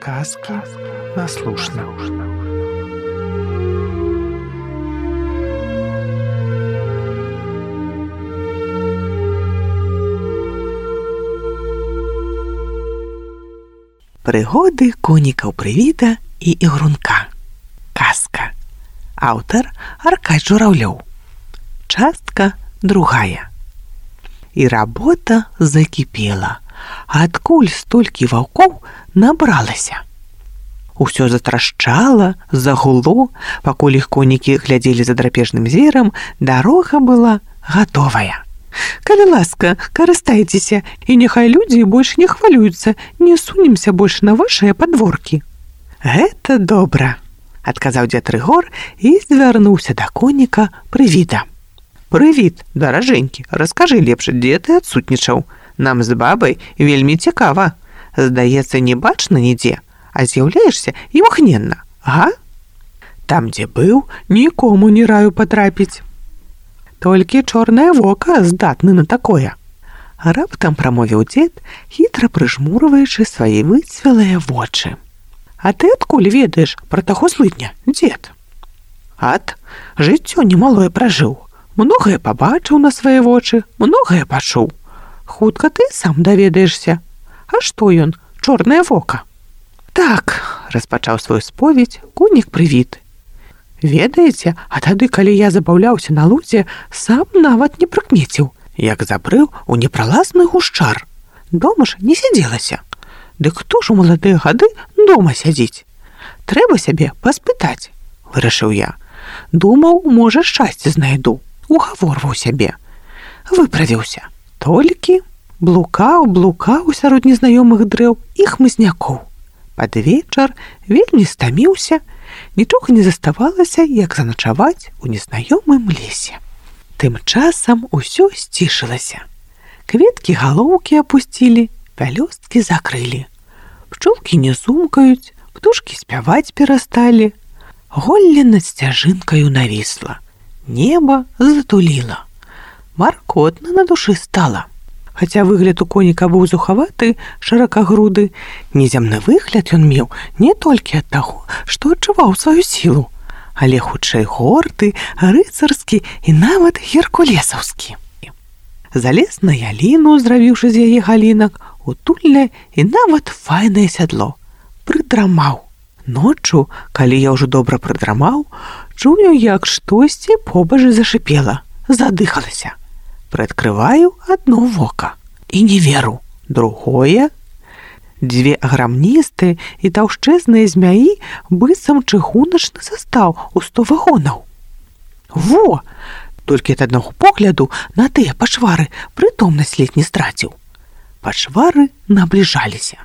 Сказки на слушно. Пригоди конікаў Прывіда і Ігрунка. Казка. Аўтар Аркадзь Журавлёў. Частка 2. І работа закіпела. Адкуль столькі ваўкоў набралася? Усё затрашчала, загуло, пакуль іх конікі глядзелі за драпежным зверам, дарога была гатовая. Калі ласка, карыстайцеся, і няхай людзі больш не хвалююцца, не сунемся больш на вашыя падворкі. Гэта добра, адказаў дзед Рыгор і звярнуўся да коніка Прывіда. Прывід, даражэнькі, раскажы лепш, дзе ты адсутнічаў? Нам з бабай вельмі цікава. Здаецца, не бачна нідзе, а з'яўляешся імгненна, га? Там, дзе быў, нікому не раю патрапіць. Толькі чорнае вока здатны на такое. Раптам прамовіў дзед, хітра прыжмурваючы свае выцвелыя вочы. А ты адкуль ведаеш пра таго злыдня, дзед? Ат, жыццё немалое пражыў. Многае пабачыў на свае вочы, многае пачуў. Хутка ты сам даведаешся. А што ён, чорнае вока? Так, распачаў сваю споведь конік Прывід. Ведаеце, а тады, калі я забаўляўся на лузе, сам нават не прыкмеціў, як забрыў у непралазны гушчар. Дома ж не сядзелася. Дык хто ж у маладыя гады дома сядзіць? Трэба сябе паспытаць, вырашыў я. Думаў, можа, шчасце знайду. Угаворваў сябе. Выправіўся. Толькі блукаў сярод незнаёмых дрэў і хмызнякоў. Пад вечар вельмі стаміўся, нічога не заставалася, як заначаваць у незнаёмым лесе. Тым часам усё сцішылася. Кветкі галоўкі апусцілі, пялёсткі закрылі. Пчолкі не сумкаюць, птушкі спяваць перасталі. Голле над сцяжынкаю навісла. Неба затуліла. Маркотна на душы стала. Хаця выгляд у коніка быў зухаваты, шыракагруды, неземны выгляд ён меў не толькі ад таго, што адчуваў сваю сілу, але хутчэй горды, рыцарскі і нават геркулесаўскі. Залез на яліну, зрабіўшы з яе галінак, утульнае і нават файнае сядло. Прыдрамаў. Ноччу, калі я ўжо добра прыдрамаў, чую, як штосьці побач зашыпела, задыхалася. Прыадкрываю адно вока і не веру. Другое. Дзве аграмністыя і таўшчэзныя змяі быццам чыгуначны састаў у 100 вагонаў. Во! Толькі ад аднаго погляду на тыя пачвары прытомнасць ледзь не страціў. Пачвары набліжаліся.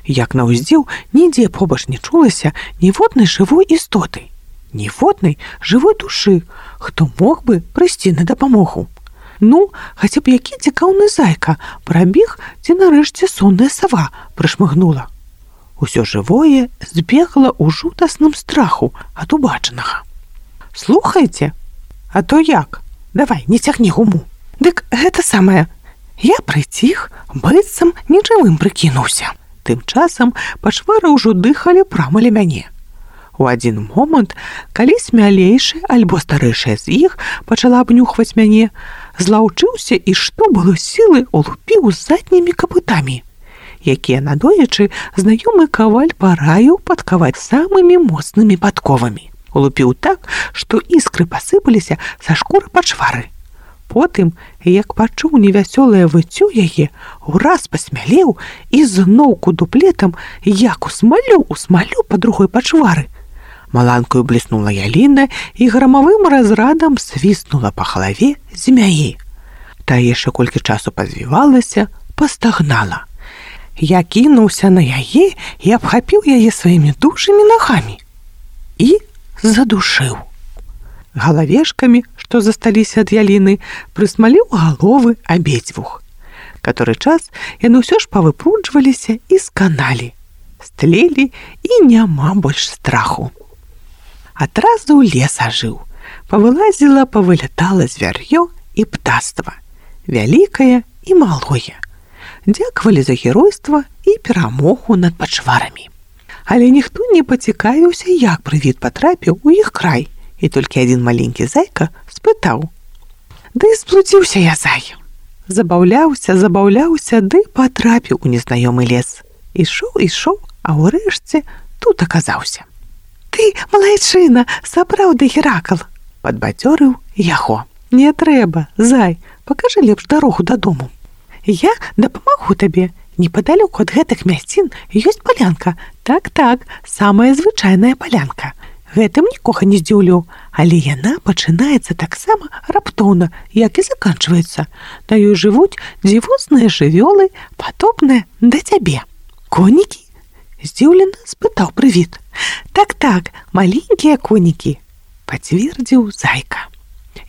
Як на ўздзеў, нідзе побач не чулася ніводнай жывой істоты, ніводнай жывой душы, хто мог бы прыйсці на дапамогу. Ну, хаця б які цікаўны зайка прабег, ці нарэшце сонная сава прышмыгнула. Усё жывое збегла ў жудасным страху ад убачанага. Слухайце, а то як? Давай, не цягні гуму. Дык гэта самае. Я прыціх, быццам нежывым прыкінуўся. Тым часам пачвары ўжо дыхалі прама ля мяне. У адзін момант, калі смялейшая альбо старэйшая з іх пачала абнюхваць мяне, злаўчыўся і што было сілы улупіў заднімі капытамі, якія надоечы знаёмы каваль параіў падкаваць самымі моцнымі падковамі. Улупіў так, што іскры пасыпаліся са шкуры пачвары. Потым, як пачуў невясёлае выццё яе, ураз пасмялеў і зноўку дуплетам як усмалю па другой пачвары. Маланкаю бліснула яліна і грамавым разрадам свіснула па галаве змяі. Та яшчэ колькі часу пазвівалася, пастагнала. Я кінуўся на яе і абхапіў яе сваімі дужымі нагамі. І задушыў. Галавешкамі, што засталіся ад яліны, прысмаліў галовы абедзвюх. Каторы час яны ўсё ж павыпруджваліся і сканалі. Стлелі і няма больш страху. Адразу лес ажыў. Павылазіла, павылятала звяр'ё і птаства. Вялікае і малое. Дзякавалі за геройства і перамогу над пачварамі. Але ніхто не пацікавіўся, як прывід патрапіў у іх край, і толькі адзін маленькі зайка спытаў: «Ды сплуціўся я, зай!» Забаўляўся, ды патрапіў у незнаёмы лес. Ішоў, а ўрэшце тут аказаўся. «Ты, малайчына, сапраўды Геракл!» – падбадзёрыў яго. «Не трэба, зай, пакажы лепш дарогу дадому. Я дапамагу табе. Непадалёку ад гэтых мясцін ёсць палянка. Так, самая звычайная палянка. Гэтым нікога не здзіўлю, але яна пачынаецца таксама раптоўна, як і заканчваецца. На ёй жывуць дзівосныя жывёлы, падобныя да цябе». «Конікі?» – здзіўлена спытаў прывід. Так, маленькія конікі», – пацвердзіў зайка.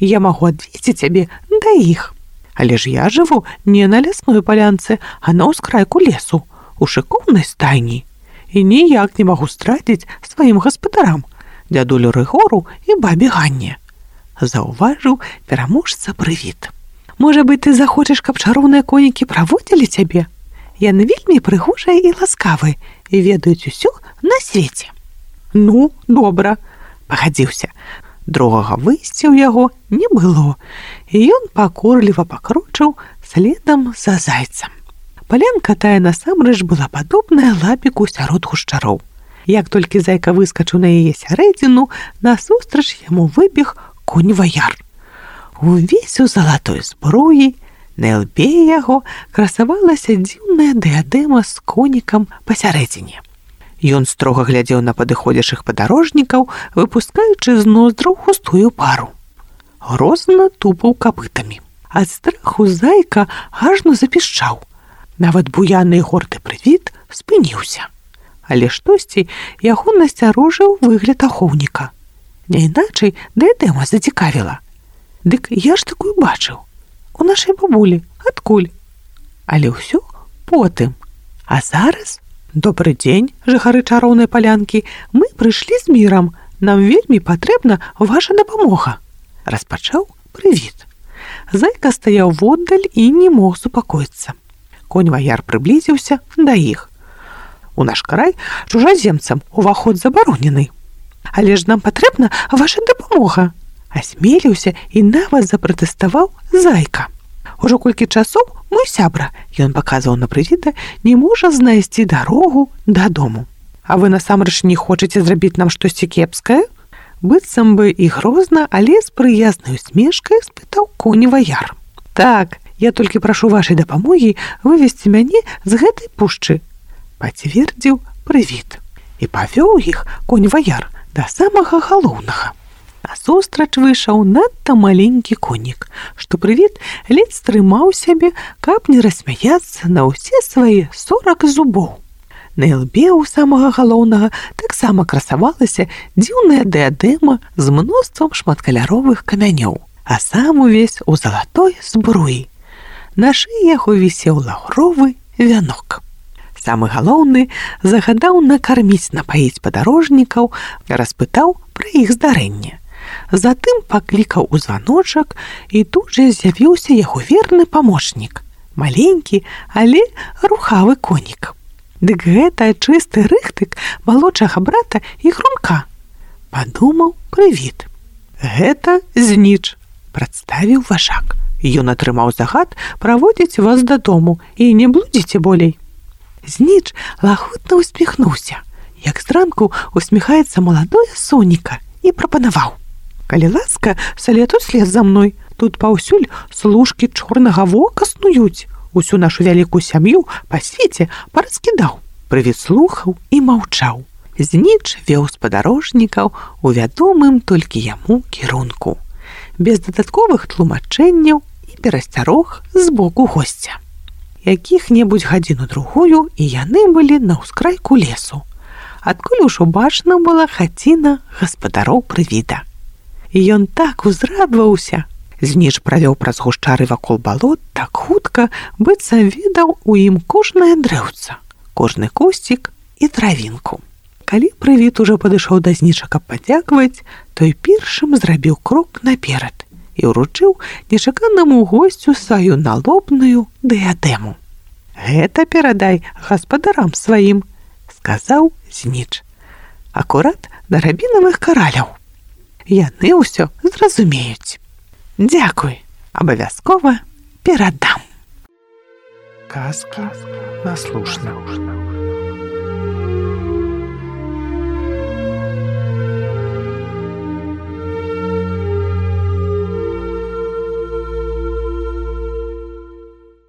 «Я магу адвесці цябе да іх. Але ж я жыву не на лясной палянцы, а на ўскрайку лесу, у шыкоўнай стайні. І ніяк не магу страціць сваім гаспадарам, дзядулю Рыгору і бабе Ганне», – заўважыў пераможца прывід. «Можа быць, ты захочаш, каб чароўныя конікі праводзілі цябе? Яны вельмі прыгожыя і ласкавыя і ведаюць усё на свеце». «Ну, добра», – пагадзіўся. Другога выйсця ў яго не было, і ён пакорліва пакрочыў следам за зайцам. Палянка тая насамрэч была падобная лапіку сярод гушчароў. Як толькі зайка выскачыў на яе сярэдзіну, насустрач яму выбег конь-ваяр. Увесь у залатой зброі, на лбе яго красавалася дзіўная дыадэма з конікам пасярэдзіне. Ён строга глядзеў на падыходзячых падарожнікаў, выпускаючы з ноздраў густую пару. Грозна тупаў капытамі. Ад страху зайка ажно запішчаў. Нават буяны і горды прывід спыніўся. Але штосьці яго насцярожыў выгляд ахоўніка. Няйначай дыадэма зацікавіла. «Дык я ж такую бачыў. У нашай бабулі. Адкуль?» Але ўсё потым. А зараз... «Добры дзень, жыхары чароўнай палянкі. Мы прыйшлі з мірам. Нам вельмі патрэбна ваша дапамога», – распачаў прывід. Зайка стаяў воддаль і не мог супакоіцца. Конь-ваяр прыблізіўся да іх. «У наш край чужаземцам уваход забаронены. Але ж нам патрэбна ваша дапамога», – асмеліўся і нават запратэставаў зайка. «Ужо колькі часоў мой сябра», – ён паказваў на прывіда, – «не можа знайсці дарогу дадому. А вы насамрэч не хочаце зрабіць нам штосьці кепскае?» Быццам бы і грозна, але з прыязнай усмешкай спытаў конь-ваяр. «Так, я толькі прашу вашай дапамогі вывесці мяне з гэтай пушчы», – пацвердзіў прывід. І павёў іх конь-ваяр да самага галоўнага. Насустрач выйшаў надта маленькі конік, што прывід ледзь стрымаў сябе, каб не рассмяяцца на ўсе свае 40 зубоў. На лбе у самага галоўнага таксама красавалася дзіўная дыадэма з мноствам шматкаляровых камянёў, а сам увесь у залатой збруі. На шыі яго вісеў лаўровы вянок. Самы галоўны загадаў накарміць, напаіць падарожнікаў, распытаў пра іх здарэнне. Затым паклікаў у званочак, і тут жа з'явіўся яго верны памочнік, маленькі, але рухавы конік. Дык гэта чысты рыхтык малодшага брата Ігрунка, падумаў прывід. «Гэта Зніч», – прадставіў важак. «Ён атрымаў загад праводзіць вас дадому і не блудзіце болей». Зніч лагутна усміхнуўся, як зранку усміхаецца маладое сонейка, і прапанаваў: «Калі ласка, салету след за мной. Тут паўсюль служкі чорнага вока снуюць. Усю нашу вялікую сям'ю па свеце параскідаў». Прывід слухаў і маўчаў. Зніч вёў спадарожнікаў у вядомым толькі яму кірунку, без дадатковых тлумачэнняў і перасцярог з боку госця. Якіх-небудзь гадзіну-другую і яны былі на ўскрайку лесу, адкуль ужо бачна была хаціна гаспадароў прывіда. І ён так узрадваўся. Зніч правёў праз гушчары вакол балот так хутка, быццам ведаў у ім кожнае дрэўца, кожны кусцік і травінку. Калі прывід ужо падышоў да Зніча, каб падзякаваць, той першым зрабіў крок наперад і ўручыў нечаканаму госцю сваю налобную дыадэму. «Гэта перадай гаспадарам сваім», – сказаў Зніч. Акурат да рабінавых караляў. Яны ўсё зразумеюць. Дзякуй, абавязкова перадам. Казка наслушна.